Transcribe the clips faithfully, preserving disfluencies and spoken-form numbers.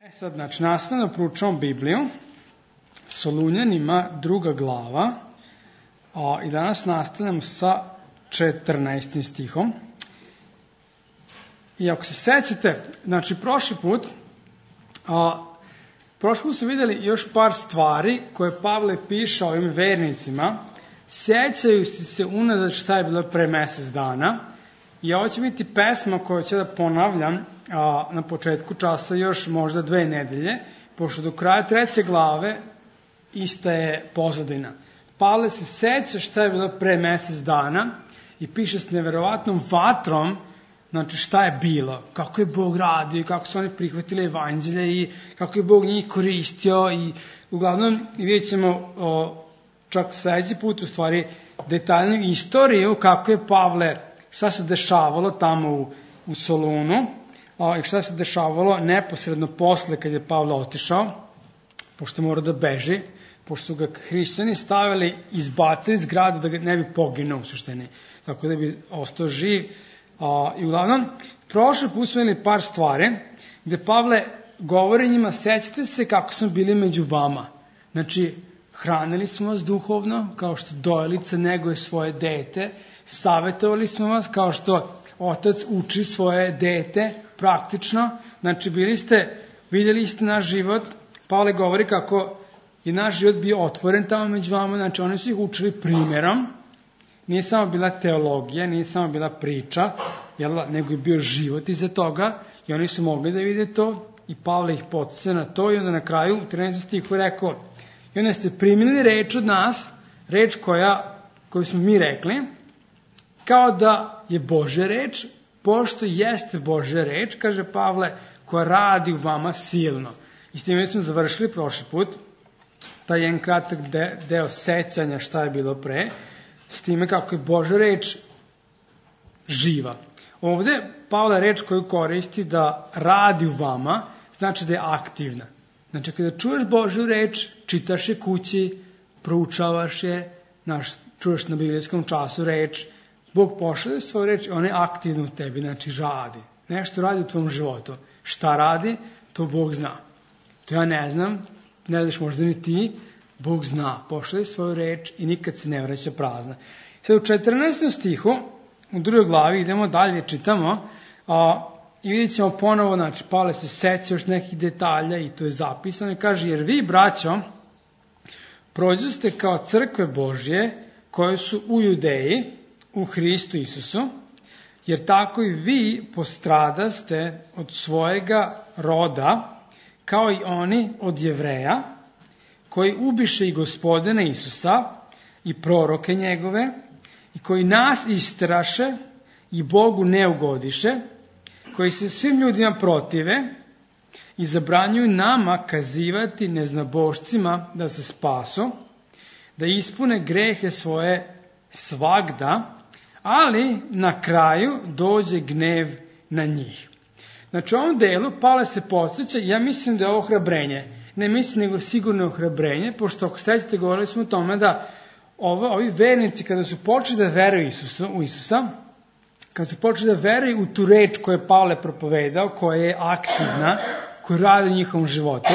E sad, znači, nastavno proučavamo Bibliju, Solunjanima druga glava, a, i danas nastavljamo sa četrnaestim stihom. I ako se sećate, znači, prošli put, a, prošli put su vidjeli još par stvari koje Pavle piše ovim vernicima, sjećaju se unazad šta je bilo pre mesec dana, i ovo će biti pesma koju ću da ponavljam a, na početku časa još možda dve nedelje, pošto do kraja treće glave ista je pozadina. Pavle se seća šta je bilo pre mesec dana i piše s neverovatnom vatrom, znači šta je bilo, kako je Bog radio i kako su oni prihvatili evanđelje i kako je Bog njih koristio i uglavnom vidjet ćemo o, čak sledeći put u stvari detaljnu istoriju kako je Pavle, šta se dešavalo tamo u, u Solunu a, i šta se dešavalo neposredno posle kad je Pavle otišao, pošto mora da beži, pošto su ga hrišćani stavili, izbacili iz grada da ga ne bi poginuo u suštini, tako da bi ostao živ. A, I uglavnom, prošle put smo imali par stvari gde Pavle govori njima, sećate se kako smo bili među vama. Znači, hranili smo vas duhovno, kao što dojelica neguje svoje dete, savjetovali smo vas kao što otac uči svoje dete praktično, znači bili ste, vidjeli ste naš život. Pavle govori kako je naš život bio otvoren tamo među vama, znači oni su ih učili primjerom, nije samo bila teologija, nije samo bila priča, jel, nego je bio život iza toga i oni su mogli da vide to i Pavle ih podsjeća na to i onda na kraju u trinaestom stihu rekao i onda ste primili reč od nas, reč koja, koju smo mi rekli, kao da je Božja reč, pošto jeste Božja reč, kaže Pavle, koja radi u vama silno. I s time smo završili prošli put, taj jedan kratak de, deo sećanja šta je bilo pre, s time kako je Božja reč živa. Ovde Pavle reč koju koristi da radi u vama, znači da je aktivna. Znači kada čuješ Božju reč, čitaš je kući, proučavaš je, naš, čuješ na biblijskom času reč, Bog pošalje svoju reč i ona je aktivna u tebi, znači radi. Nešto radi u tvom životu. Šta radi, to Bog zna. To ja ne znam, ne znaš možda ni ti, Bog zna, pošalje svoju reč i nikad se ne vraća prazna. Sad u četrnaestom stihu, u drugoj glavi, idemo dalje, čitamo, a, i vidjet ćemo ponovo, znači, Pavle se seća još nekih detalja i to je zapisano i kaže, jer vi, braćo, prođoste kao crkve Božje koje su u Judeji, u Hristu Isusu, jer tako i vi postradaste od svojega roda, kao i oni od Jevreja, koji ubiše i Gospodina Isusa i proroke njegove, i koji nas istraše i Bogu ne ugodiše, koji se svim ljudima protive i zabranjuju nama kazivati neznabošcima da se spasu, da ispune grehe svoje svagda, ali na kraju dođe gnev na njih. Znači u ovom delu Pavle se podsjeća, ja mislim da je ovo ohrabrenje, ne mislim nego sigurno ohrabrenje, pošto ako sećate govorili smo o tome da ovo, ovi vernici kada su počeli da veruju Isusa, u Isusa, kada su počeli da veruju u tu reč koju je Pavle propovedao, koja je aktivna, koja radi u njihovom životu,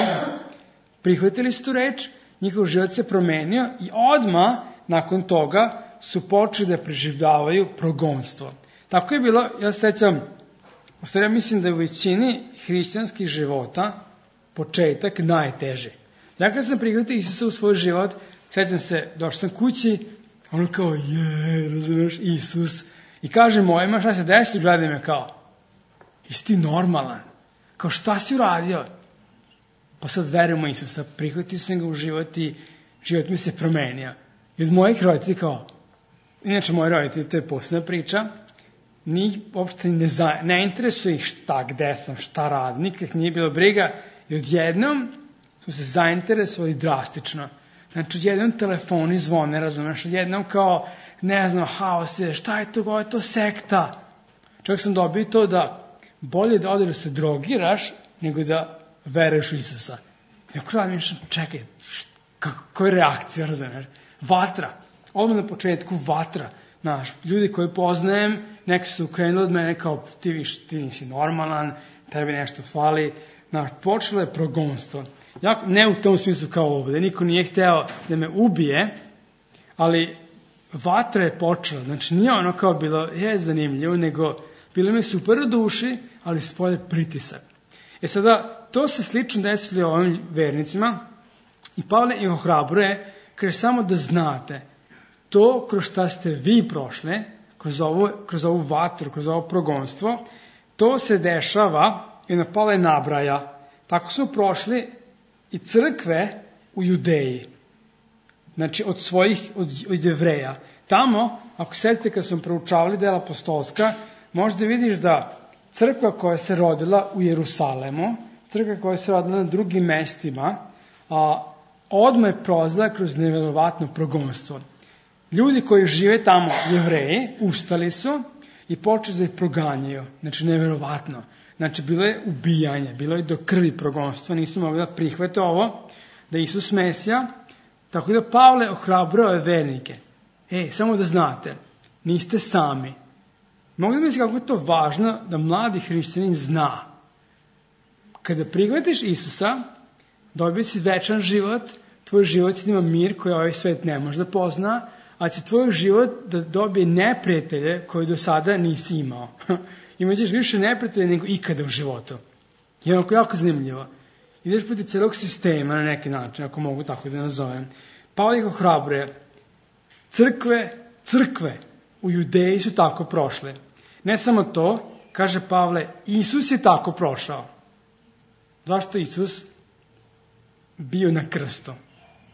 prihvatili su tu reč, njihov život se promenio i odmah nakon toga su počeli da preživljavaju progonstvo. Tako je bilo, ja se sećam, u stvari ja mislim da je u većini hrišćanskih života početak najteži. Ja kad sam prihvatio Isusa u svoj život, sećam se, došao sam kući, ono kao, je, razumiješ, Isus. I kaže mojima, šta se desi, gledaj me kao, jesi ti normalan? Kao, šta si uradio? Pa sad verujemo Isusa, prihvatio sam ga u život i život mi se promenio. I od mojih roditelji kao, inače moji roditelji, to je posebna priča, njih uopšte ne, za, ne interesuje ih šta, gde sam, šta radim, nikad nije bilo briga i odjednom su se zainteresovali drastično. Znači, odjednom telefoni zvone, razumeš, odjednom kao, ne znam, haos je, šta je to, ovo je to sekta. Čak sam dobio to da bolje da odeš da se drogiraš, nego da veruješ u Isusa. I ako radim, čekaj, kako je reakcija, razumeš, vatra. Odmah na početku vatra. Znaš, ljudi koji poznajem, neki su ukrenuli od mene kao ti, viš, ti nisi normalan, tebi nešto fali, Znaš, počelo je progonstvo. Jako, ne u tom smislu kao ovdje, niko nije hteo da me ubije, ali vatra je počela. Znači nije ono kao bilo, je zanimljivo, nego bilo mi super u duši, ali spolje pritisak. E sada, to se slično desilo ovim vernicima i Pavle ih ohrabruje, kaže samo da znate, to kroz šta ste vi prošli, kroz ovu, kroz ovu vatru, kroz ovo progonstvo, to se dešava, i na Pavle nabraja, tako smo prošli i crkve u Judeji. Znači, od svojih, od, od Jevreja. Tamo, ako sjetite kad smo proučavali dela apostolska, možda vidiš da crkva koja se rodila u Jerusalemu, crkva koja se rodila na drugim mestima, a, odmah je prolazila kroz nevjerovatno progonstvo. Ljudi koji žive tamo, Jevreji, ustali su i počeli da ih proganjaju. Znači, nevjerovatno. Znači, bilo je ubijanje, bilo je do krvi progonstvo, nisu mogli da prihvate ovo, da je Isus Mesija. Tako da Pavle ohrabrao je vernike. Ej, samo da znate, niste sami. Mogu da misliti kako je to važno da mladi hrišćanin zna. Kada prihvatiš Isusa, dobije si večan život, tvoj život će da ima mir koji ovaj svet ne može da pozna, a će tvoj život da dobije neprijatelje koje do sada nisi imao. Imaćeš više neprijatelja nego ikada u životu. Je onako jako zanimljivo. Ideš protiv celog sistema na neki način, ako mogu tako da nazovem. Pavle ih ohrabruje. Crkve, crkve u Judeji su tako prošle. Ne samo to, kaže Pavle, Isus je tako prošao. Zašto Isus bio na krstu?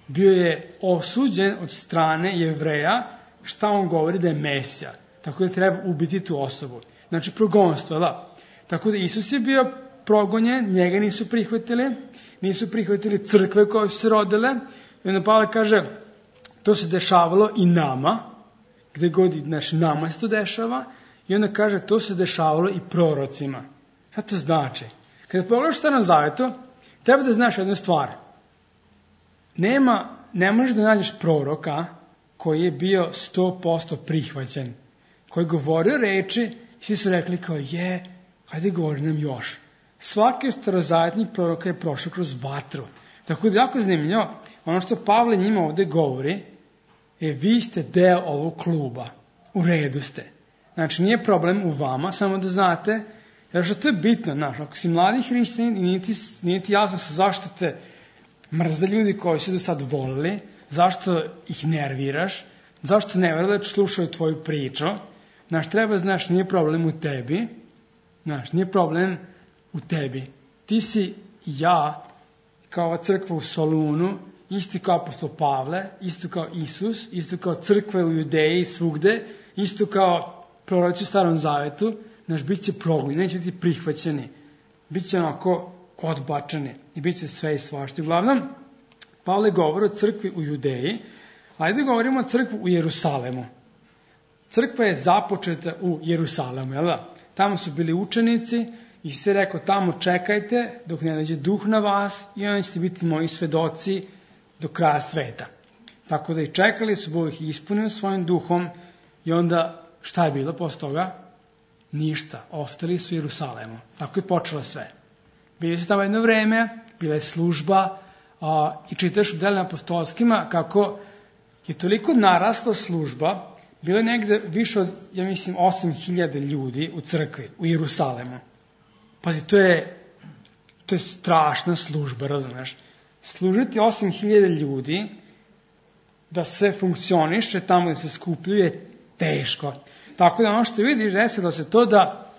Bio je osuđen od strane Jevreja, šta on govori da je Mesija. Tako da treba ubiti tu osobu. Znači progonstvo, da. Tako da Isus je bio progonjen, njega nisu prihvatili, nisu prihvatili crkve koje su se rodile. I onda Pavle kaže, to se dešavalo i nama, gde god, znači nama se to dešava, i onda kaže, to se dešavalo i prorocima. Šta to znači? Kada pogledaš Starom Zavetu, treba da znaš jednu stvar. Nema, ne možeš da nađeš proroka koji je bio sto posto prihvaćen, koji je govorio reči i svi su rekli kao je, hajde govori nam još. Svaki starozavetni proroka je prošao kroz vatru. Tako da jako zanimljivo, ono što Pavle njima ovde govori, je vi ste deo ovog kluba, u redu ste. Znači nije problem u vama, samo da znate, jer što to je bitno, znaš, ako si mladi hrišćanin i nije ti, nije ti jasno sa zašto te mrze ljudi koji su do sad volili, zašto ih nerviraš, zašto ne vjeruješ da slušaju tvoju priču, znaš, treba znaš, nije problem u tebi, znaš, nije problem u tebi. Ti si ja, kao ova crkva u Solunu, isti kao apostol Pavle, isto kao Isus, isto kao crkve u Judeji svugde, isto kao proroci u Starom Zavetu, znaš, bit će progonjeni, neće biti prihvaćeni, bit će onako odbačeni i bit će sve i svašta. Uglavnom, Pavle govori o crkvi u Judeji, ajde govorimo o crkvi u Jerusalemu. Crkva je započeta u Jerusalemu, jel da? Tamo su bili učenici i se rekao, tamo čekajte dok ne nađe duh na vas i onda ćete biti moji svedoci do kraja sveta. Tako da i čekali su, Bog ih ispunio svojim duhom i onda šta je bilo posle toga? Ništa. Ostali su u Jerusalemu. Tako je počelo sve. Bili su tamo jedno vreme, bila je služba a, i čitaš u delima apostolskima kako je toliko narasla služba, bilo je negde više od, ja mislim, osam hiljada ljudi u crkvi, u Jerusalemu. Pazi, to je, to je strašna služba, razumeš? Služiti osam hiljada ljudi, da sve funkcioniše tamo da se skupljuje, je teško. Tako da ono što vidiš, desilo se to da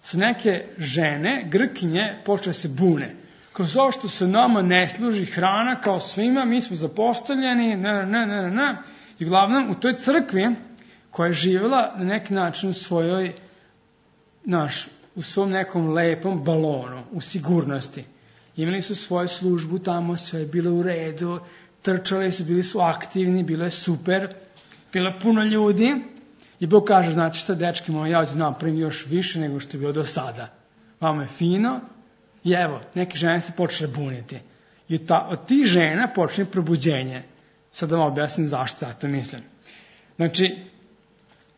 su neke žene, Grkinje, počele se bune. Kao zao što se nama ne služi hrana kao svima, mi smo zapostavljeni, ne, ne, ne, ne. I uglavnom u toj crkvi koja je živjela na neki način u svojoj, naš, u svom nekom lepom balonu, u sigurnosti. Imali su svoju službu tamo, sve je bilo u redu, trčali su, bili su aktivni, bilo je super, bilo je puno ljudi. I Bog kaže, znači šta, dečki moji, ja ću da napravim još više nego što je bilo do sada. Vama je fino i evo, neke žene se počele buniti. I ta, od tih žena počne probuđenje. Sad da vam objasnim zašto ja to mislim. Znači,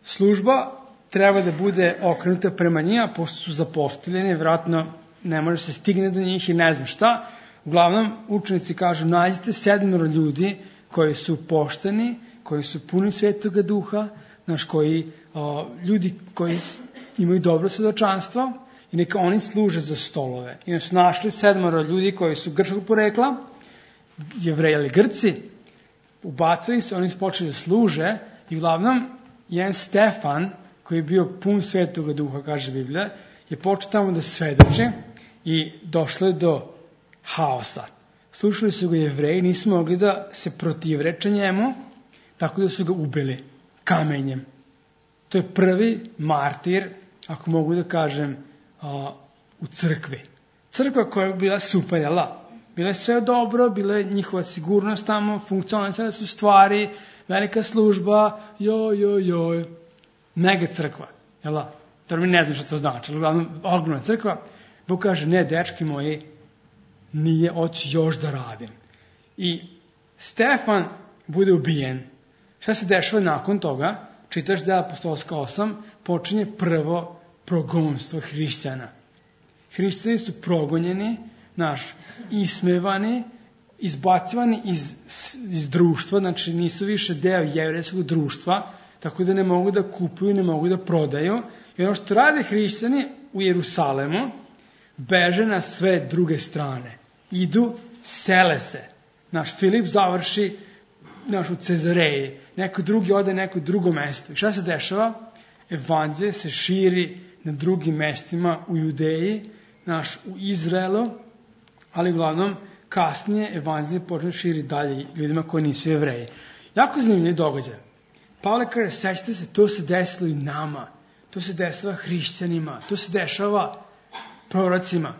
služba treba da bude okrenuta prema njima, pošto su zapostavljeni, vjerojatno ne može se stigne do njih i ne znam šta. Uglavnom, učenici kažu, nađite sedmero ljudi koji su pošteni, koji su puni Svetoga Duha, znaš, koji, o, ljudi koji imaju dobro svedočanstvo i neka oni služe za stolove. I su našli sedmero ljudi koji su grčkog porekla, Jevreji ili Grci, ubacili se, oni su počeli da služe i uglavnom jedan Stefan, koji je bio pun Svetoga Duha, kaže Biblija, je počeo tamo da svedoči i došlo je do haosa. Slušali su ga Jevreji, nisu mogli da se protivreče njemu, tako da su ga ubili kamenjem. To je prvi martir, ako mogu da kažem, u crkvi. Crkva koja je bila super, jela? Bila je sve dobro, bila je njihova sigurnost tamo, funkcionalne su stvari, velika služba, joj, joj, joj, mega crkva, jela? To mi ne znam što to znači, ali uglavnom ogromna crkva. Bog kaže, ne, dečki moji, nije oći još da radim. I Stefan bude ubijen. Šta se dešava nakon toga? Čitaš Dela apostolska osam, počinje prvo progonstvo hrišćana. Hrišćani su progonjeni, naš, ismevani, izbacivani iz, iz društva, znači nisu više deo jevrejskog društva, tako da ne mogu da kupuju, ne mogu da prodaju. I ono što rade hrišćani u Jerusalemu, beže na sve druge strane. Idu, sele se. Naš Filip završi naš u Cezareji, neko drugi ode neko drugo mesto. I šta se dešava? Evanđelje se širi na drugim mestima u Judeji, naš u Izraelu, ali uglavnom kasnije evanđelje počne širi dalje ljudima koji nisu Jevreji. Jako zanimljiv događaj. Pavle kaže, sećate se, to se desilo i nama, to se dešava hrišćanima, to se dešava prorocima.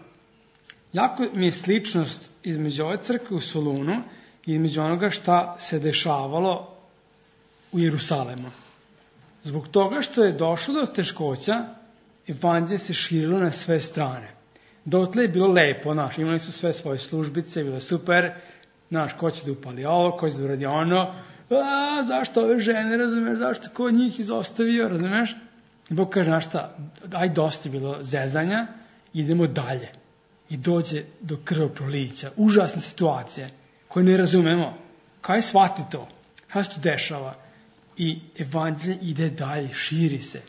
Jako mi je sličnost između ove crkve u Solunu i između onoga šta se dešavalo u Jerusalemu. Zbog toga što je došlo do teškoća, evanđelje se širilo na sve strane. Dotle je bilo lepo, znaš, imali su sve svoje službice, bilo je super, znaš, ko će da upali ovo, ko će da uradi ono, a, zašto ove žene, razumeš, zašto ko njih izostavio, razumeš? I Bog kaže, znaš šta, aj dosta je bilo zezanja, idemo dalje. I dođe do krvoprolića, užasne situacije, koje ne razumemo. Kaj shvati to? Kaj se to dešava? I evanđelje ide dalje, širi se.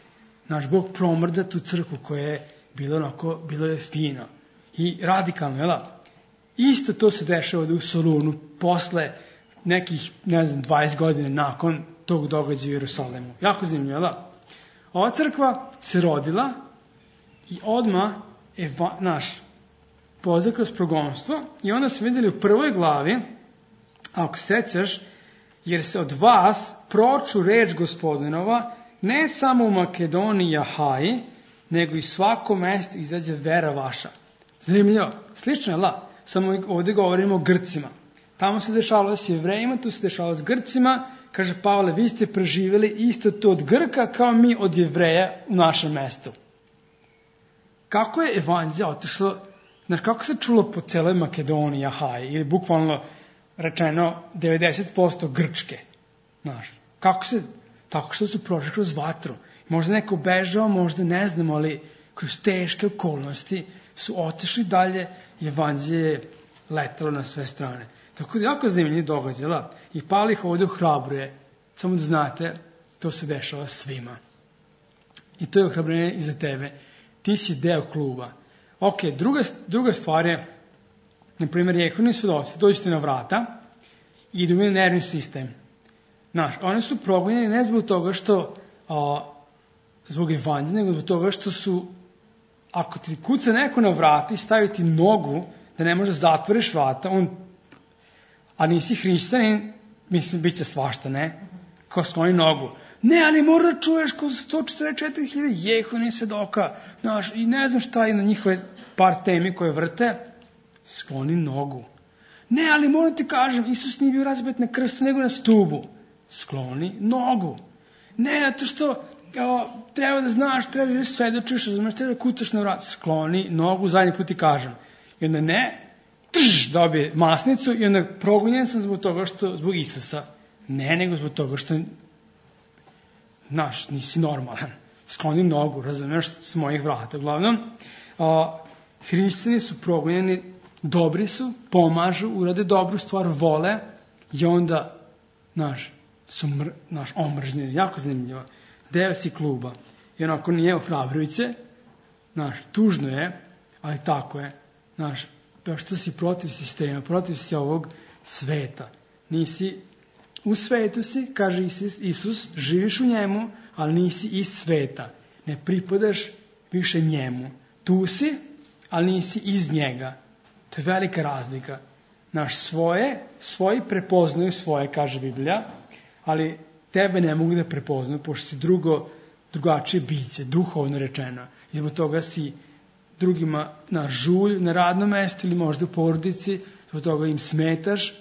Naš Bog promrda tu crkvu koja je bilo onako, bilo je fino. I radikalno, jel? Isto to se dešava u Solunu, posle nekih, ne znam, dvadeset godina nakon tog događaja u Jerusalemu. Jako zanimljivo, jel? Ova crkva se rodila i odmah, eva, naš, pozna kroz progonstvo i onda su vidjeli u prvoj glavi, ako sećaš, jer se od vas proču reč Gospodinova, ne samo u Makedoniji i Ahaji, nego i svako mesto izađe vera vaša. Zanimljivo, slično je, la? Samo ovdje govorimo o Grcima. Tamo se dešavalo s Jevrejima, tu se dešavalo s Grcima. Kaže Pavle, vi ste preživjeli isto to od Grka kao mi od Jevreja u našem mestu. Kako je evanđelje otišlo, znaš, kako se čulo po celoj Makedoniji i Ahaji, ili bukvalno rečeno devedeset posto Grčke. Znaš, kako se, tako što su prošli kroz vatru. Možda neko bežao, možda ne znamo, ali kroz teške okolnosti su otišli dalje i evanđelje je letalo na sve strane. Tako da jako zanimljiv događaj, da? I Pavle ih ovdje ohrabruje, samo da znate, to se dešava svima. I to je ohrabrenje i za tebe. Ti si deo kluba. Ok, druga, druga stvar je, na primjer, Jehovini svedoci, dođete na vrata i idu na nervni sistem. Znaš, oni su progonjeni ne zbog toga što, a, zbog evanđelja, nego zbog toga što su, ako ti kuca neko na vrata i stavi ti nogu, da ne može zatvoriš vrata, on, a nisi hrišćanin, mislim, bit će svašta, ne? Kao skloni nogu. Ne, ali mora da čuješ kao sto četrdeset četiri hiljade Jehovini svedoka, znaš, i ne znam šta je na njihove par temi koje vrte, skloni nogu. Ne, ali moram ti kažem, Isus nije bio razbet na krstu, nego na stubu. Skloni nogu. Ne, zato što o, treba da znaš, treba da svedočiš, razumeš, treba da kucaš na vrat. Skloni nogu, zadnji put ti kažem. I onda ne, trž, dobije masnicu i onda progonjen sam zbog toga što, zbog Isusa. Ne, nego zbog toga što, znaš, nisi normalan. Skloni nogu, razumeš, s mojih vrata. Uglavnom, o, Hrišćani su progonjeni, dobri su, pomažu, urade dobru stvar, vole i onda, znaš, su mr, naš, omržnjeni, jako zanimljivo. Deo si kluba. I onako nije ohrabrujuće, znaš, tužno je, ali tako je. Znaš, što si protiv sistema, protiv si ovog sveta. Nisi, u svetu si, kaže Isus, Isus, živiš u njemu, ali nisi iz sveta. Ne pripadaš više njemu. Tu si, ali nisi iz njega. To je velika razlika. Naš svoje, svoji prepoznaju svoje, kaže Biblija, ali tebe ne mogu da prepoznaju, pošto si drugo, drugačije biće, duhovno rečeno. I zbog toga si drugima na žulj, na radnom mestu ili možda u porodici, zbog toga im smetaš.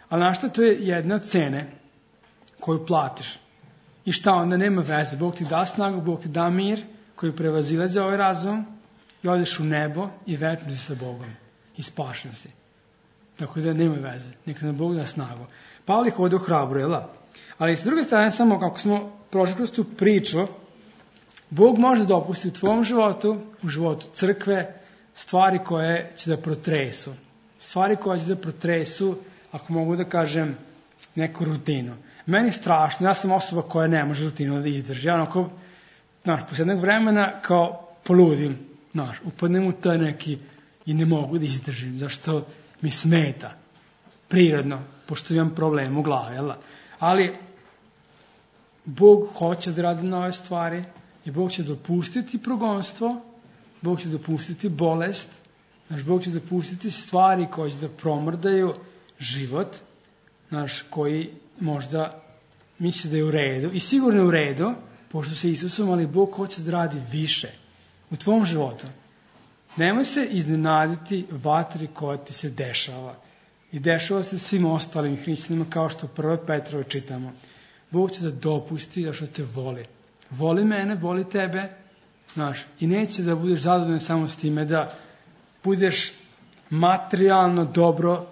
Ali znaš šta, to je jedna od cene koju platiš. I šta onda, nema veze. Bog ti da snagu, Bog ti da mir koji prevazilaze ovaj razum i odeš u nebo i večno si sa Bogom. I spašen si. Tako da nema veze. Neka nam Bog da snagu. Pavle ih ovdje ohrabruje, jel? Ali s druge strane, samo kako smo prošli kroz tu priču, Bog može dopustiti u tvom životu, u životu crkve, stvari koje će da protresu. Stvari koje će da protresu, ako mogu da kažem, neku rutinu. Meni je strašno, ja sam osoba koja ne može rutinu da izdrži. Ja onako, znaš, posle jednog vremena kao poludim, znaš, upadnem u to neki i ne mogu da izdržim, zašto mi smeta. Prirodno, pošto imam problem u glavi, jel? Ali Bog hoće da radi nove stvari i Bog će dopustiti progonstvo, Bog će dopustiti bolest, znaš, Bog će dopustiti stvari koje će da promrdaju život, znaš, koji možda misli da je u redu i sigurno je u redu, pošto se Isusom, ali Bog hoće da radi više u tvom životu. Nemoj se iznenaditi vatri koja ti se dešava. I dešava se svim ostalim hrišćanima, kao što u prvoj Petrove čitamo. Bog će da dopusti da što te voli. Voli mene, voli tebe, znaš, i neće da budeš zadovoljan samo s time da budeš materijalno dobro,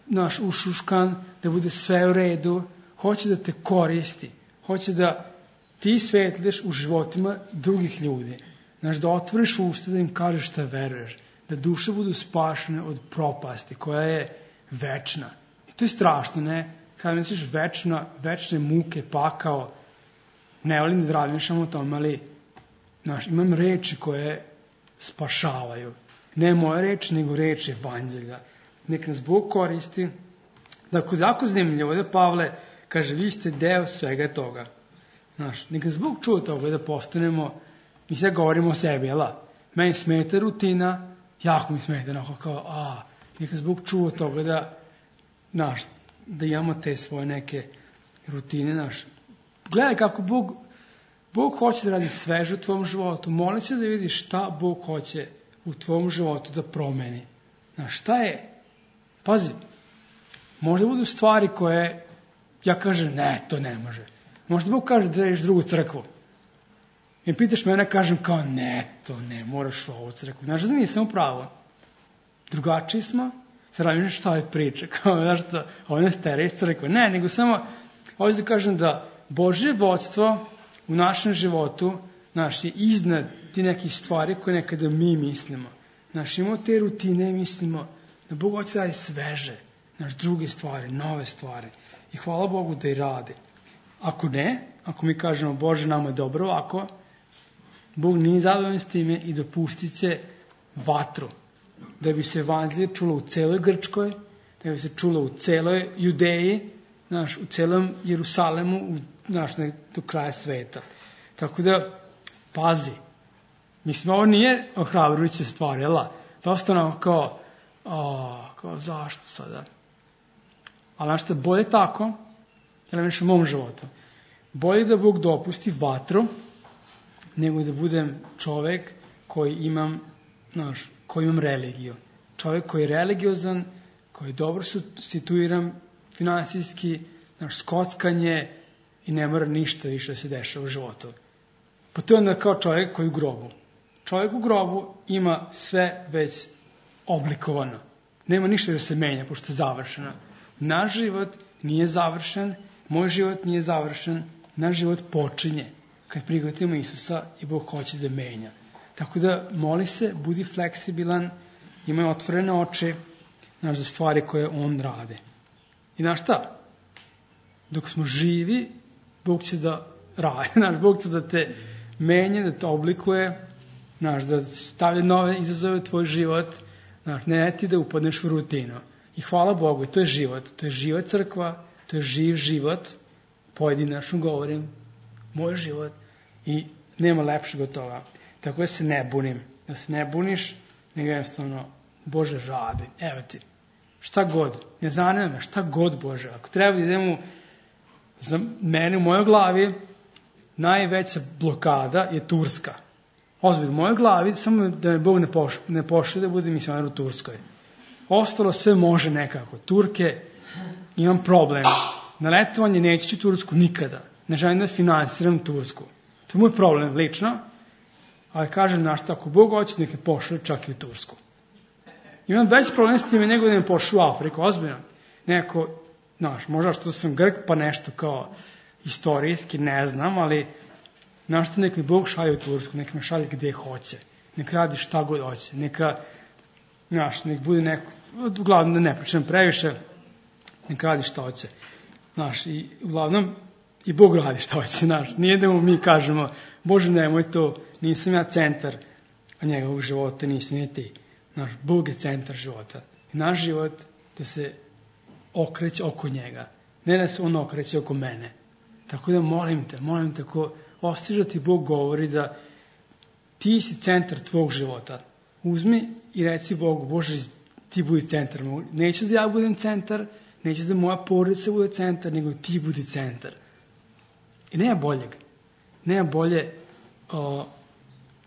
znaš, ušuškan, da bude sve u redu. Hoće da te koristi. Hoće da ti svetliš u životima drugih ljudi. Znaš, da otvoriš usta, da im kažeš šta veruješ. Da duše budu spašene od propasti koja je večna. I to je strašno, ne? Kada misliš večna, večne muke, pakao, ne volim da razmišljam o tome, ali znaš, imam reči koje spašavaju. Ne moje reči, nego reči evanđelja. Nek nas Bog koristi. Dakle, jako zanimljivo da Pavle kaže, vi ste deo svega toga. Znaš, nek nas Bog čuo toga da postanemo, mi sve govorimo o sebi, jel? Meni smeta rutina, jako mi smeta, onako kao, a, nek nas Bog čuo toga da, znaš, da imamo te svoje neke rutine, znaš. Gledaj kako Bog, Bog hoće da radi sveže u tvom životu, moli se da vidiš šta Bog hoće u tvom životu da promeni. Znaš, šta je? Pazi, možda budu stvari koje, ja kažem, ne, to ne može. Možda Bog kaže da radiš drugu crkvu. I pitaš mene, kažem kao, ne, to ne, moraš u ovu crkvu. Znaš da nisam u pravu. Drugačiji smo, sad radim šta je priče, kao, znaš to, ovo ne stere iz crkve. Ne, nego samo, ovdje da kažem da Božje vodstvo u našem životu, znaš, je iznad ti nekih stvari koje nekada mi mislimo. Znaš, imamo te rutine i mislimo da Bog hoće da radi sveže, znaš, druge stvari, nove stvari. I hvala Bogu da i radi. Ako ne, ako mi kažemo, Bože, nama je dobro ovako, Bog nije zadovoljan s time i dopustit će vatru, da bi se evanđelje čulo u celoj Grčkoj, da bi se čulo u celoj Judeji, znaš, u celom Jerusalemu, u, znaš, do kraja sveta. Tako da, pazi, mislim, ovo nije ohrabrujuća stvar, jel? Dosta nam kao, o, kao, zašto sada? Ali znaš šta, bolje tako, jel nešto u mom životu, bolje da Bog dopusti vatru, nego da budem čovek koji imam, znaš, koji imam religiju. Čovek koji je religiozan, koji je dobro situiran finansijski, znaš, skockanje i ne mora ništa više da se dešava u životu. Pa to je onda kao čovjek koji je u grobu. Čovjek u grobu ima sve već oblikovano. Nema ništa da se menja, pošto je završeno. Naš život nije završen, moj život nije završen, naš život počinje kad prihvatimo Isusa i Bog hoće da menja. Tako da moli se, budi fleksibilan, imaj otvorene oči, znaš, za stvari koje on radi. I znaš šta? Dok smo živi, Bog će da radi, znaš, Bog će da te menje, da te oblikuje, znaš, da stavlja nove izazove u tvoj život, znaš, ne ti da upadneš u rutinu. I hvala Bogu, to je život, to je živa crkva, to je živ život, pojedinačno govorim, moj život, i nema lepšeg od toga. Tako da se ne bunim, da se ne buniš, nego jednostavno, Bože, radi, evo ti, šta god, ne zanima me, šta god, Bože, ako treba da idemo, za mene u mojoj glavi, najveća blokada je Turska. Ozbiljno, u mojoj glavi, samo da me Bog ne pošle, ne pošle da bude misionar u Turskoj. Ostalo sve može nekako. Turke, imam problem. Na letovanje neću u Tursku nikada. Ne želim da finansiram Tursku. To je moj problem, lično. Ali kažem, znaš, ako Bog hoće, neka pošle čak i u Tursku. Imam veći problem s time nego da me pošle u Afriku, ozbiljno. Neko, znaš, možda što sam Grk, pa nešto kao istorijski, ne znam, ali znaš što, neka mi Bog šalje u Tursku, neka me šalje gde hoće. Neka radi šta god hoće. Neka, znaš, nek bude neko, uglavnom da ne pričam previše, neka radi šta hoće. Znaš, i uglavnom i Bog radi šta hoće, znaš. Nije da mu mi kažemo, Bože, nemoj to, nisam ja centar njegovog života, nisam ni ti. Znaš, Bog je centar života. I naš život da se okreće oko njega. Ne da se on okreće oko mene. Tako da molim te, molim te, ako ostiže ti Bog govori da ti si centar tvog života. Uzmi i reci Bogu, Bože, ti budi centar. Neću da ja budem centar, neću da moja porodica bude centar, nego ti budi centar. I nema boljeg. Nema bolje o,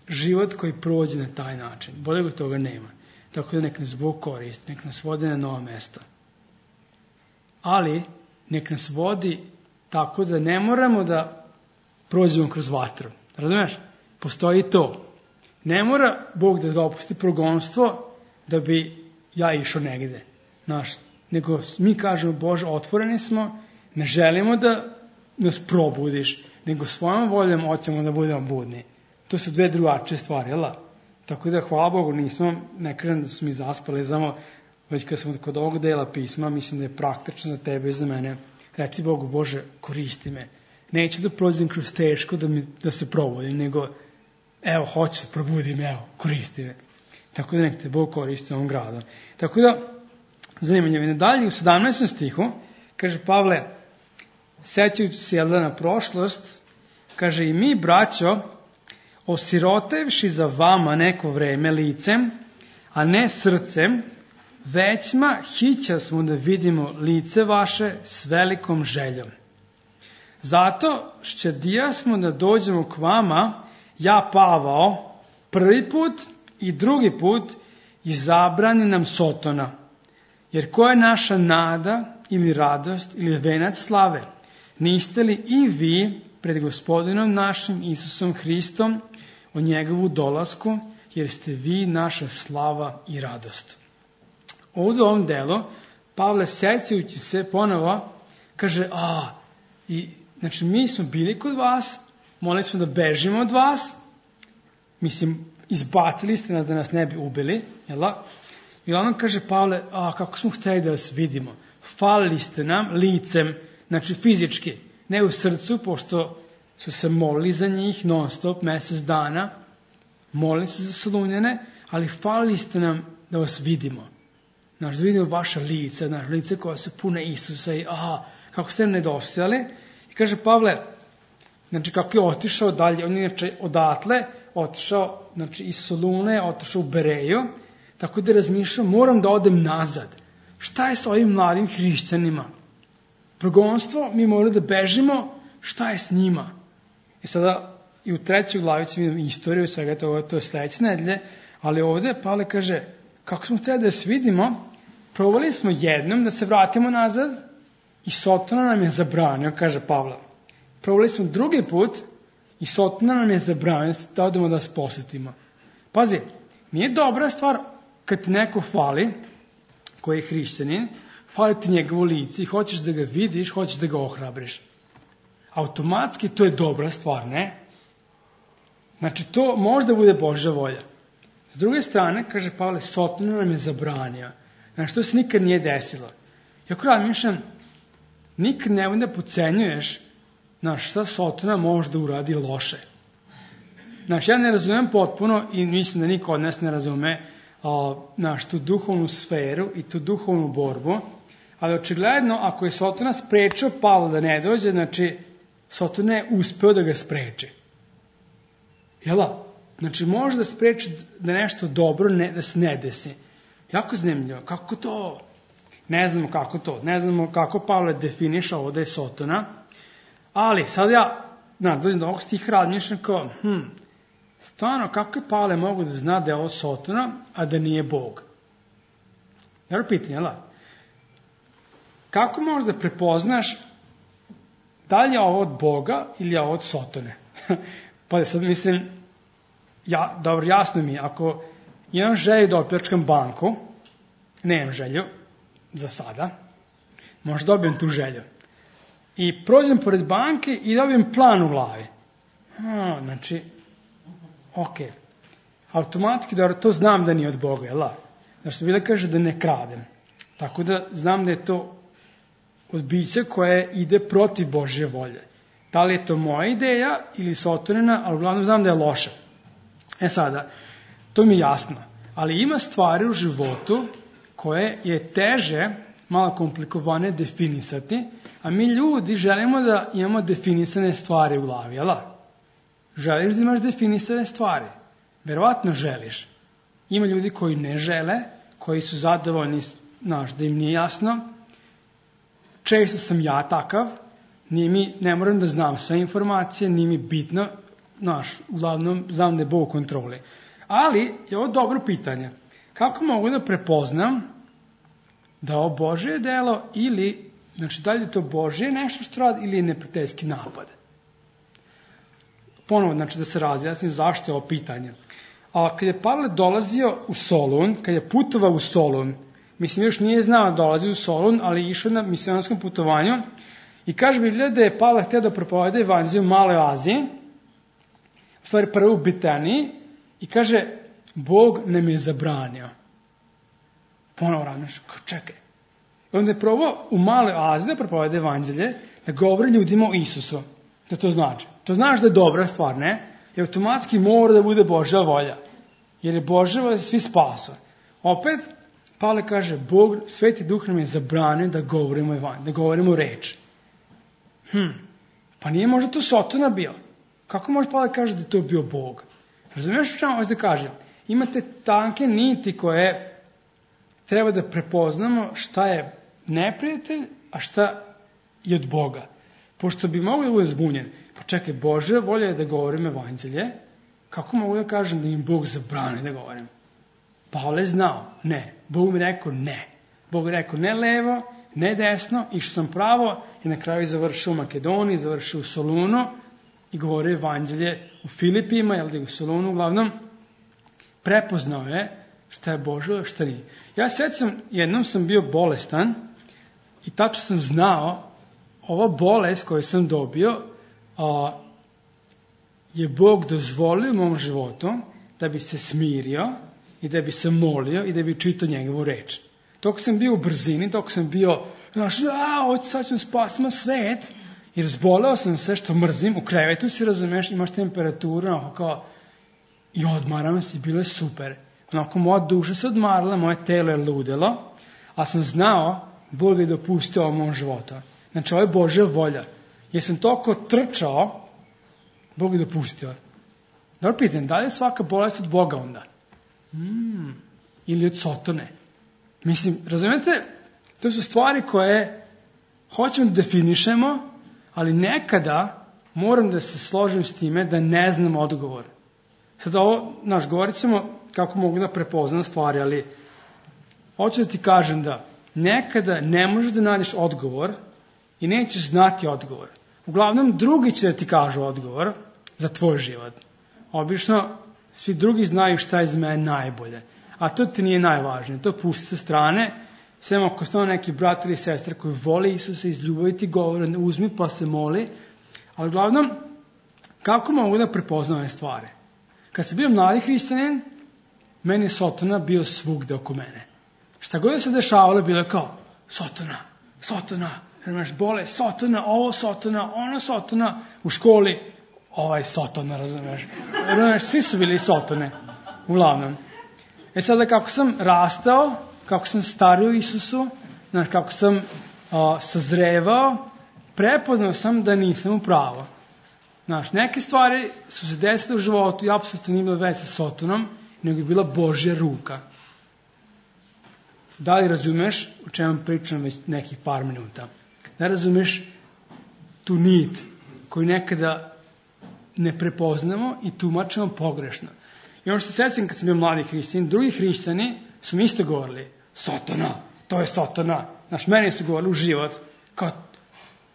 život koji prođe na taj način. Boljeg od toga nema. Tako da nek nas Bog koristi, nek nas vodi na nova mesta. Ali nek nas vodi tako da ne moramo da prođemo kroz vatru. Razumeš? Postoji to. Ne mora Bog da dopusti progonstvo da bi ja išao negde. Znaš, nego mi kažemo, Bože, otvoreni smo, ne želimo da nas probudiš, nego svojom voljom hoćemo da budemo budni. To su dve drugačije stvari, jel? Tako da, hvala Bogu, nismo, ne kažem da su mi zaspali, znamo, već kad smo kod ovog dela pisma, mislim da je praktično za tebe i za mene. Reci Bogu, Bože, koristi me. Neću da prođem kroz teško da, mi, da se probudim, nego evo, hoću da probudim, evo, koristi me. Tako da nek te Bog koristi ovom gradom. Tako da, zanimljivo je, dalje u sedamnaestom stihu, kaže Pavle, sećajući se jelda na prošlost, kaže, i mi, braćo, osirotevši za vama neko vreme licem, a ne srcem, većma hića smo da vidimo lice vaše s velikom željom. Zato šćedija smo da dođemo k vama, ja Pavao, prvi put i drugi put, i zabrani nam Sotona. Jer ko je naša nada ili radost ili venac slave? Niste li i vi pred Gospodinom našim Isusom Hristom o njegovu dolasku, jer ste vi naša slava i radost. Ovdje u ovom delu, Pavle, sećajući se ponovo, kaže, a, i, znači mi smo bili kod vas, molili smo da bežimo od vas, mislim, izbacili ste nas da nas ne bi ubili, jel da? I on kaže, Pavle, a, kako smo htjeli da vas vidimo, falili ste nam licem, znači fizički, ne u srcu, pošto su se molili za njih non stop, mjesec dana, molili su za Solunjane, ali falili ste nam da vas vidimo. Znaš, da vidimo vaša lica, znaš, lice koja se pune Isusa i aha, kako ste nedostajali. I kaže Pavle, znači kako je otišao dalje, on je inače odatle, otišao, znači iz Solune, otišao u Bereju, tako da razmišljam, moram da odem nazad. Šta je sa ovim mladim hrišćanima? Progonstvo, mi moramo da bežimo, šta je s njima? I sada i u trećoj glavi ćemo vidjeti istoriju svega toga, to je sledeće nedelje, ali ovdje Pavle kaže, kako smo htjeli da se vidimo, probali smo jednom da se vratimo nazad i Sotona nam je zabranio, kaže Pavle. Probali smo drugi put i Sotona nam je zabranio da odemo da vas posjetimo. Pazi, nije dobra stvar kad ti neko fali, koji je hrišćanin, fali ti njegovo lice i hoćeš da ga vidiš, hoćeš da ga ohrabriš. Automatski to je dobra stvar, ne? Znači, to možda bude Božja volja. S druge strane, kaže Pavle, Sotona nam je zabranio. Znači, to se nikad nije desilo. Jako razmišljam, nikad ne da podcenjuješ, znaš, šta Sotona može da uradi loše. Znači, ja ne razumem potpuno i mislim da niko od nas ne razume a, znaš, tu duhovnu sferu i tu duhovnu borbu, ali očigledno, ako je Sotona sprečio Pavla da ne dođe, znači, Sotona je uspeo da ga spreči. Jela? Znači, može da spreči da nešto dobro ne, da se ne desi. Jako zanimljivo. Kako to? Ne znamo kako to. Ne znamo kako Pavle definiša ovo da je Sotona. Ali, sad ja, na, dođem do ovog stiha razmišljam kao, hm, stvarno, kako je Pavle mogu da zna da je ovo Sotona, a da nije Bog? Dobro pitanje, jel? Kako možeš da prepoznaš da li je ovo od Boga ili je ovo od Sotone? Pa sad mislim, ja, dobro, jasno mi je, ako imam želju da opljačkam banku, nemam želju, za sada, možda dobijem tu želju. I prođem pored banke i dobijem plan u glavi. A, znači, ok, automatski da to znam da nije od Boga, jel? Znači, što Biblia kaže da ne kradem. Tako da znam da je to od bića koje ide protiv Božje volje. Da li je to moja ideja ili Sotonina, ali uglavnom znam da je loša. E sada, to mi je jasno. Ali ima stvari u životu koje je teže, malo komplikovane definisati, a mi ljudi želimo da imamo definisane stvari u glavi, jel? Želiš da imaš definisane stvari? Verovatno želiš. Ima ljudi koji ne žele, koji su zadovoljni, znaš, da im nije jasno. Često sam ja takav, nije mi, ne moram da znam sve informacije, nije mi bitno, znaš, uglavnom znam da je Bog u kontroli. Ali je ovo dobro pitanje. Kako mogu da prepoznam da je ovo Božje delo ili, znači, da li je to Božje nešto što radi ili je neprijateljski napad? Ponovo, znači, da se razjasnim zašto je ovo pitanje. A kad je Pavle dolazio u Solun, kad je putovao u Solun, mislim, još nije znao da dolazi u Solun, ali je išao na misionskom putovanju i kaže Biblija da je Pavle htio da propoveda evanđelje u Maloj Aziji, u stvari prvo u Bitaniji, i kaže, Bog nam je zabranio. Ponovo razmišljam, čekaj. I onda je probao u Maloj Aziji da propoveda evanđelje, da govori ljudima o Isusu. Da to znači. To znaš da je dobra stvar, ne? I automatski mora da bude Božja volja. Jer je Božja volja da svi spasu. Opet, Pavle kaže, Bog, Sveti Duh nam je zabranio da govorimo evanđelje, da govorimo reč. Hm, pa nije možda to Sotona bio. Kako može Pavle kaže da je to bio Bog? Razumiješ što vam da kažem? Imate tanke niti koje treba da prepoznamo šta je neprijatelj, a šta je od Boga. Pošto bi mogli da bude zbunjen. Pa čekaj, Božja volja je da govorim evanđelje, kako mogu da kažem da im Bog zabrani da govorim? Pavle je znao, ne. Bog mi rekao ne. Bog mi rekao ne levo, ne desno, išao sam pravo i na kraju završio u Makedoniji, završio u Solunu i govorio evanđelje u Filipima, jel da je u Solunu uglavnom. Prepoznao je šta je Božje, šta nije. Ja sećam, jednom sam bio bolestan i tačno sam znao ova bolest koju sam dobio a, je Bog dozvolio u mom životu da bi se smirio i da bi se molio i da bi čitao njegovu reč. Dok sam bio u brzini, dok sam bio, znaš, ja, hoću sad ću spasimo svet, jer zboleo sam sve što mrzim, u krevetu si, razumeš, imaš temperaturu, onako kao, i odmaram se, bilo je super. Onako, moja duša se odmarala, moje telo je ludelo, a sam znao, Bog je dopustio u mom životu. Znači, ovo je Božja volja. Jer sam toliko trčao, Bog je dopustio. Dobro pitanje, da li je svaka bolest od Boga onda? Hmm, ili od Sotone? Mislim, razumijete, to su stvari koje hoćemo da definišemo, ali nekada moram da se složim s time da ne znam odgovor. Sad ovo, znaš, govorit ćemo kako mogu da prepoznam stvari, ali hoću da ti kažem da nekada ne možeš da nađeš odgovor i nećeš znati odgovor. Uglavnom, drugi će da ti kažu odgovor za tvoj život. Obično, svi drugi znaju šta je za mene najbolje. A to ti nije najvažnije. To pusti sa strane. Sve ako su neki brat ili sestra koji vole Isusa, iz ljubavi ti govore, uzmi pa se moli. Ali uglavnom, kako mogu da prepoznam ove stvari? Kad sam bio mladi hrišćanin, meni je Sotona bio svugde oko mene. Šta god se dešavalo, bilo je kao, Sotona, Sotona, razumeš, bole, Sotona, ovo Sotona, ono Sotona, u školi, ovaj Sotona, razumeš. Razumeš, svi su bili Sotone, uglavnom. E sada, kako sam rastao, kako sam stario Isusu, znaš, kako sam uh, sazrevao, prepoznao sam da nisam u pravu. Znaš, neke stvari su se desile u životu i apsolutno nije bilo veze sa Sotonom, nego je bila Božja ruka. Da li razumeš o čemu pričam već nekih par minuta? Da razumeš tu nit koju nekada ne prepoznamo i tumačimo pogrešno. I ono što se sjećam kad sam bio mladi hrišćani, drugi hrišćani su mi isto govorili, Sotona, to je Sotona. Znaš, meni su govorili u život, kao,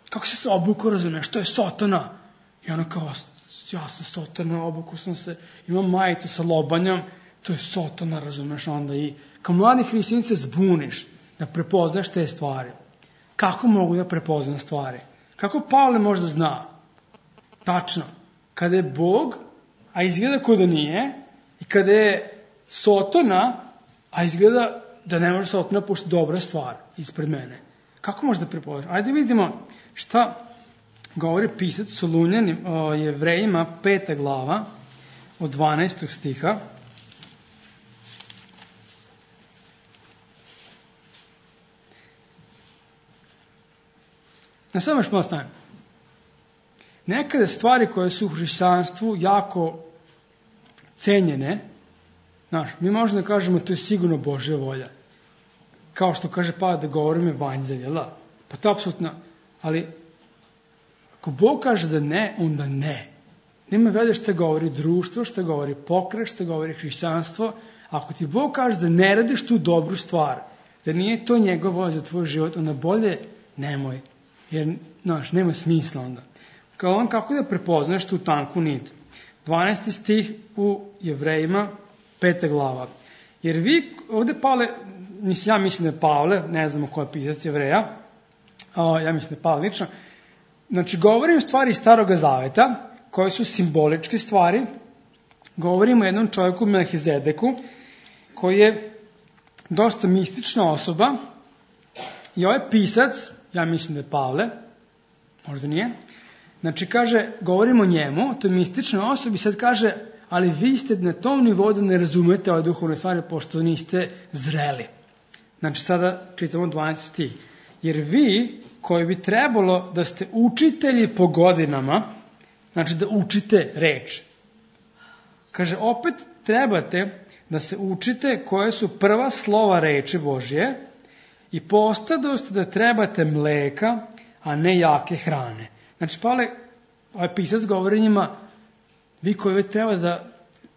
kako se se obuko, razumeš, to je Sotona. I ono kao, ja sam Sotona, obuku sam se, imam majicu sa lobanjom, to je Sotona, razumeš, onda i kao mladi hrišćani se zbuniš da prepoznaš te stvari. Kako mogu da prepoznam stvari? Kako Pavle možda zna? Tačno, kada je Bog, a izgleda ko da nije, i kada je Sotona, a izgleda da ne može Sotona pošto dobra stvar ispred mene. Kako možda prepoznaš? Ajde vidimo šta govori pisac Solunjan o Jevrejima, peta glava, od dvanaestog stiha. Na samo još malo stavim. Nekada stvari koje su u hrišćanstvu jako cenjene, znaš, mi možemo da kažemo to je sigurno Božja volja. Kao što kaže Pavle da govorim evanđelje, la? Pa to apsolutno, ali ako Bog kaže da ne, onda ne. Nema veze što govori društvo, što govori pokret, što govori hrišćanstvo. Ako ti Bog kaže da ne radiš tu dobru stvar, da nije to njegov volja za tvoj život, onda bolje nemoj. Jer, znaš, nema smisla onda. Kao on, kako da prepoznaš tu tanku nit? dvanaesti stih u Jevrejima, peta glava. Jer vi, ovde Pavle, mislim, ja mislim da je Pavle, ne znamo ko je pisac Jevreja, o, ja mislim da je Pavle lično, znači, govorim stvari iz Staroga Zaveta, koje su simboličke stvari, govorimo o jednom čovjeku Melhizedeku, koji je dosta mistična osoba, i ovaj pisac, ja mislim da je Pavle, možda nije, znači kaže, govorimo o njemu, to je mistična osoba i sad kaže, ali vi ste na tom nivou da ne razumete ove duhovne stvari, pošto niste zreli. Znači sada čitamo dvanaesti stih. Jer vi, koji bi trebalo da ste učitelji po godinama, znači da učite reč. Kaže, opet trebate da se učite koje su prva slova reči Božje i postadoste da trebate mleka, a ne jake hrane. Znači, Pavle, ovaj pisac govori njima, vi koji treba da,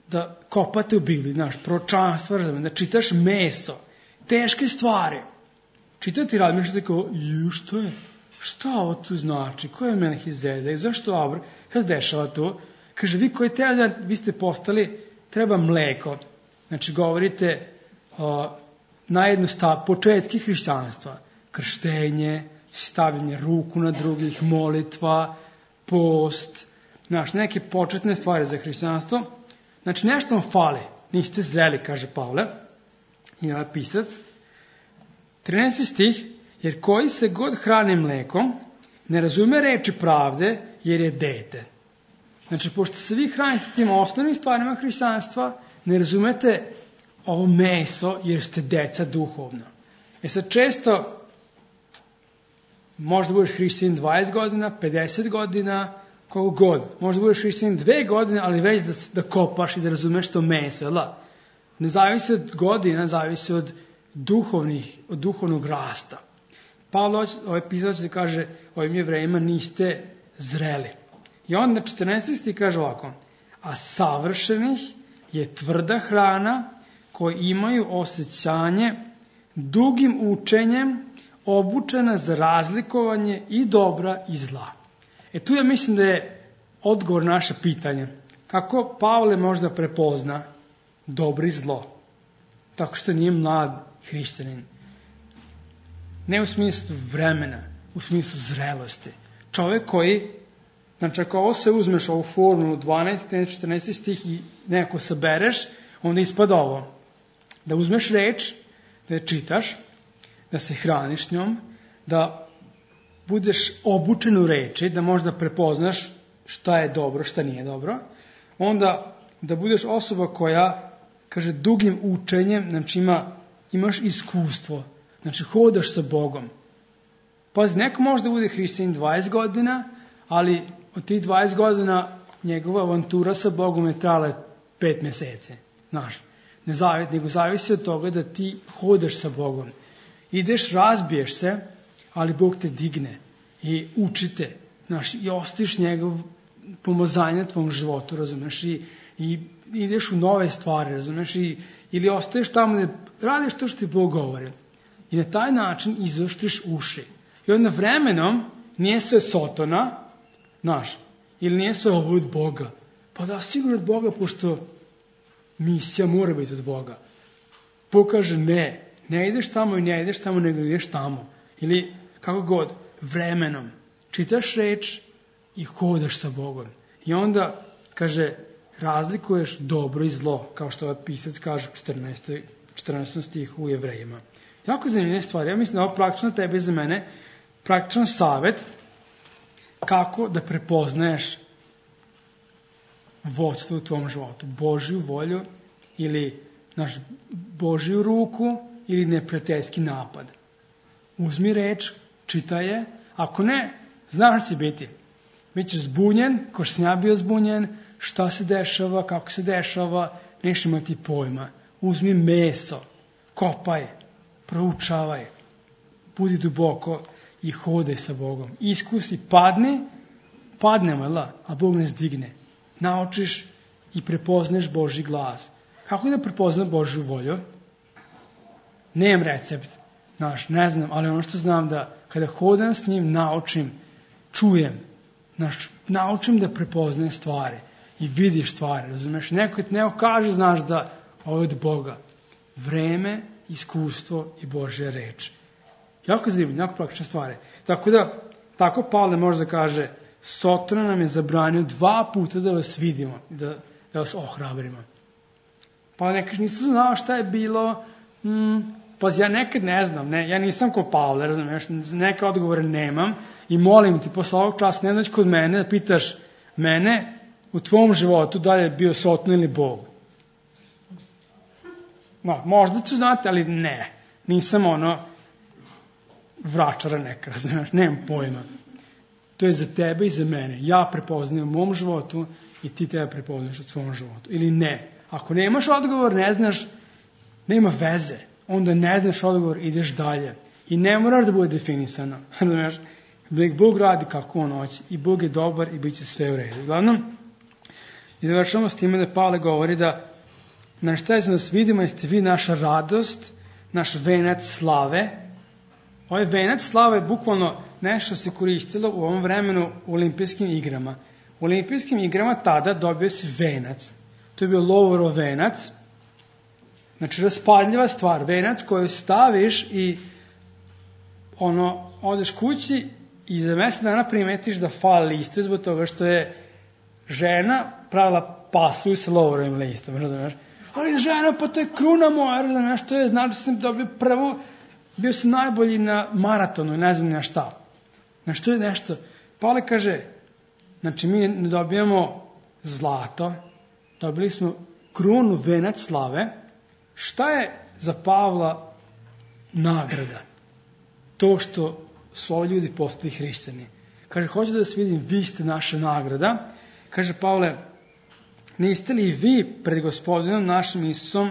da kopate u Bibliji, znaš, proročanstva, da čitaš meso, teške stvari. Čitati razmišljate kao, ju, što je? Šta ovo tu znači? Ko je Melhizedek? Zašto Abra? Šta se dešava tu? Kaže, vi koji treba da, vi ste postali, treba mleko. Znači, govorite o, najjednostav, početki hrišćanstva. Krštenje, stavljanje ruku na drugih, molitva, post, znaš, neke početne stvari za hrišćanstvo. Znači, nešto vam fali. Niste zreli, kaže Pavle. I ovaj pisac. trinaesti stih. Jer koji se god hrani mlekom, ne razume reči pravde, jer je dete. Znači, pošto se vi hranite tim osnovnim stvarima hrišćanstva, ne razumete ovo meso, jer ste deca duhovno. E sad, često, možda budeš hrišćanin dvadeset godina, pedeset godina, koliko god. Možda budeš hrišćanin dve godine, ali već da, da kopaš i da razumeš to meso, jel? Ne zavisi od godina, zavisi od duhovnih, od duhovnog rasta. Pavle, ovaj pisac da kaže ovim Jevrejima, niste zreli. I onda četrnaesti stih kaže ovako, a savršenih je tvrda hrana koji imaju osjećanje dugim učenjem obučena za razlikovanje i dobra i zla. E tu ja mislim da je odgovor naše pitanje. Kako Pavle možda prepozna dobro i zlo? Tako što nije mlad hrišćanin. Ne u smislu vremena, u smislu zrelosti. Čovjek koji Znači, ako ovo se uzmeš ovu formulu dvanaest, četrnaest stih i neko sabereš, onda ispada ovo. Da uzmeš reč, da je čitaš, da se hraniš njom, da budeš obučen u reči, da možda prepoznaš šta je dobro, šta nije dobro, onda da budeš osoba koja, kaže, dugim učenjem, znači ima, imaš iskustvo, znači hodaš sa Bogom. Pazi, neko može da bude hrišćanin dvadeset godina, ali od tih dvadeset godina njegova avantura sa Bogom je trajala pet mesece. Znaš, ne zavisi, nego zavisi od toga da ti hodaš sa Bogom. Ideš, razbiješ se, ali Bog te digne i učite, znaš, i ostiš njegov pomazanje tvom životu, razumeš, i, i ideš u nove stvari, razumeš, i, ili ostaješ tamo da radiš to što ti Bog govori. I na taj način izoštriš uši. I onda vremenom nije sve Sotona, znaš, ili nije sve ovo od Boga. Pa da, sigurno od Boga, pošto misija mora biti od Boga. Bog kaže ne, ne ideš tamo i ne ideš tamo, nego ideš tamo. Ili kako god, vremenom. Čitaš reč i hodaš sa Bogom. I onda, kaže, razlikuješ dobro i zlo, kao što ovaj pisac kaže u četrnaestom stihu u Jevrejima. Jako zanimljive stvari. Ja mislim da ovo praktično tebe i za mene, praktičan savjet kako da prepoznaješ vodstvo u tvom životu. Božju volju ili naš Božju ruku ili neprijateljski napad. Uzmi reč, čitaj je. Ako ne, znaš će biti. Bićeš zbunjen, ko što sam ja bio zbunjen, šta se dešava, kako se dešava, neš imati pojma. Uzmi meso, kopaj, proučavaj, budi duboko i hodaj sa Bogom. Iskusi, padni, padnemo, la, a Bog nas digne. Naučiš i prepozneš Božji glas. Kako da prepoznam Božju volju? Nemam recept, znaš, ne znam, ali ono što znam da kada hodam s njim, naučim, čujem, znaš, naučim da prepoznajem stvari i vidiš stvari, razumeš? Neko ti neko kaže, znaš da ovo je od Boga. Vreme, iskustvo i Božja reč. Jako zanimljivo, jako praktične stvari. Tako da, tako Pavle može da kaže, Sotona nam je zabranio dva puta da vas vidimo, da, da vas ohrabrimo. Pa nekaš nisam znao šta je bilo, hmm, pa ja nekad ne znam, ne, ja nisam ko Pavle, razumiješ, neke odgovore nemam i molim ti posle ovog časa ne doći kod mene da pitaš mene u tvom životu da li je bio Sotona ili Bog. No, možda ću znati, ali ne, nisam ono vračara neka, razumiješ, nemam pojma. To je za tebe i za mene. Ja prepoznajem u mom životu i ti tebe prepoznaš u svom životu. Ili ne. Ako nemaš odgovor, ne znaš, nema veze. Onda ne znaš odgovor, ideš dalje. I ne moraš da bude definisano. Bog radi kako on hoće. I Bog je dobar i bit će sve u redu. Uglavnom, i završamo s time da Pavle govori da na šta je da nas vidimo, jeste vi naša radost, naš venac slave. Ovaj venac slave je bukvalno nešto se koristilo u ovom vremenu u olimpijskim igrama. U olimpijskim igrama tada dobio se venac. To je bio lovorov venac. Znači raspadljiva stvar. Venac koju staviš i ono, odeš kući i za mesec dana primetiš da fali listu zbog toga što je žena pravila pasulj sa lovorovim listom. Razumiješ? Ali žena, pa to je kruna moja. Razumiješ? To je, znači sam dobio prvu, bio sam najbolji na maratonu, ne znam na šta. Znači to je nešto. Pavle kaže, znači mi ne dobijamo zlato, dobili smo krunu, venac slave. Šta je za Pavla nagrada? To što su ovi ljudi postali hrišćani. Kaže, hoću da vas vidim, vi ste naša nagrada. Kaže Pavle, niste li vi pred Gospodinom našim Isusom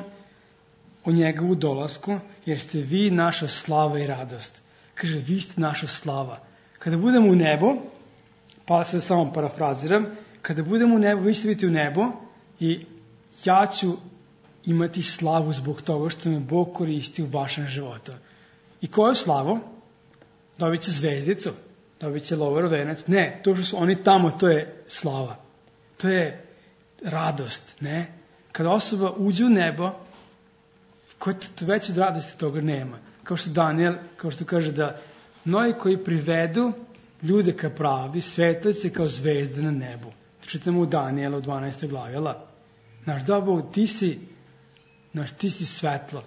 o njegovu dolasku, jer ste vi naša slava i radost. Kaže, vi ste naša slava. Kada budemo u nebo, pa se samo parafraziram, kada budemo u nebo, vi ćete biti u nebo i ja ću imati slavu zbog toga što me Bog koristi u vašem životu. I koju slavu? Dobit će zvezdicu, dobit će lovorov venac. Ne, to što su oni tamo, to je slava. To je radost, ne? Kada osoba uđe u nebo, već od radosti toga nema. Kao što Daniel, kao što kaže da mnogi koji privedu ljude ka pravdi, svetlice kao zvezde na nebu. Čitamo u Danijela u dvanaestoj glavi, jel? Znaš, da, Bog, ti si, znaš, ti si svetlo.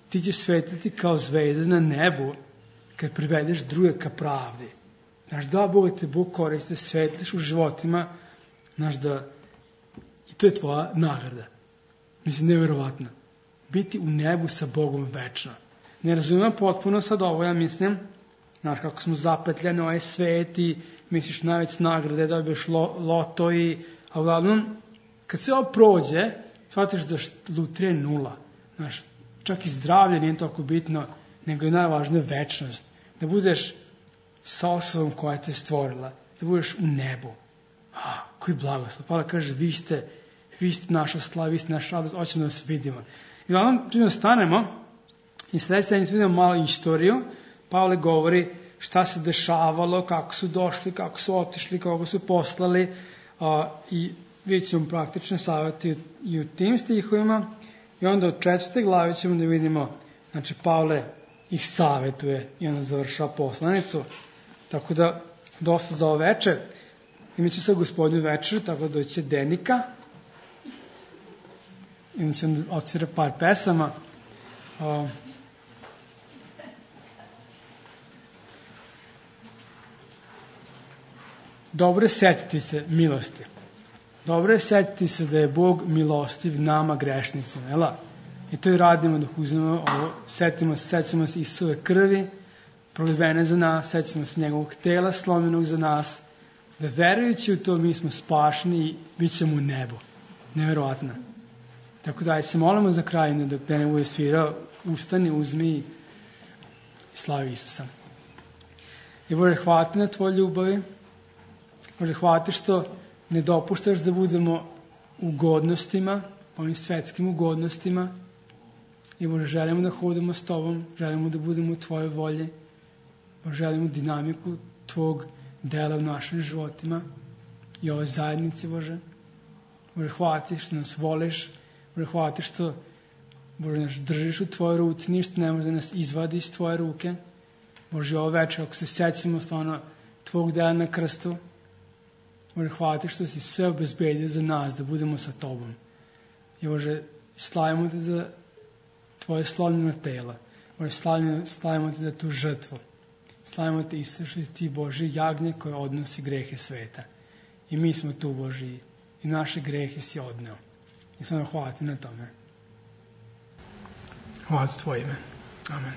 Ti ćeš svetliti kao zvezde na nebu kad privedeš druge ka pravdi. Znaš, da, Bog, te Bog koriste, svetliš u životima, znaš, da, i to je tvoja nagrada. Mislim, nevjerovatno. Biti u nebu sa Bogom večno. Ne razumijem potpuno sad ovo, ja mislim, znaš, kako smo zapetljeni ovaj svet i misliš najveć nagrade, dobiješ lo, loto i, a uglavnom, kad se ovo prođe, shvatiš da lutrija je nula. Znaš, čak i zdravlje nije toliko bitno, nego je najvažnija večnost. Da budeš sa osobom koja te stvorila, da budeš u nebu. A, koji blagoslov. Pavle kaže, vi ste, vi ste naša slava, vi ste naša radost, hoćemo da vas vidimo. I uglavnom, tu stanemo i sljedeće sedmice vidimo malo istoriju. Pavle govori šta se dešavalo, kako su došli, kako su otišli, kako su poslali a, i vidjet ćemo praktične savjeti i u tim stihovima. I onda u četvrte glavi ćemo da vidimo, znači Pavle ih savjetuje i onda završava poslanicu. Tako da, dosta za ovo večer. I mi ćemo sad gospodinu večer, tako da doći će Denika. I onda ćemo odsvira par pesama. A, Dobro je setiti se milosti. Dobro je setiti se da je Bog milostiv nama grešnicima. Jel? I to i radimo dok uzmemo ovo. Setimo se, setimo se Isuse krvi, prolivene za nas, setimo se njegovog tela slomljenog za nas, da verujući u to mi smo spašeni i bit ćemo u nebu. Nevjerovatno. Tako da se molimo za kraj, dok da ne bude svirao, ustani, uzmi i slavi Isusa. I Bože, hvala ti na tvoj ljubavi. Bože, hvala ti što ne dopuštaš da budemo u godnostima, ovim svetskim ugodnostima. I Bože, želimo da hodimo s tobom, želimo da budemo u tvojoj volji. Bože, želimo dinamiku tvog dela u našim životima i ovoj zajednici, Bože. Bože, hvala ti što nas voliš. Bože, hvala ti što, Bože, nas držiš u tvojoj ruci, ništa ne može da nas izvadi iz tvoje ruke. Bože, ovo večer, ako se sjećamo stvarno tvog dela na krstu, Bože, hvala ti što si sve obezbedio za nas, da budemo sa tobom. I Bože, slavimo te za tvoje slomljeno telo. Bože, slavimo, slavimo te za tu žrtvu. Slavimo te, Isuse, što si ti Boži jagnje koje odnosi grehe sveta. I mi smo tu, Boži, i naše grehe si odneo. I samo hvala ti na tome. Hvala za tvoje ime. Amen.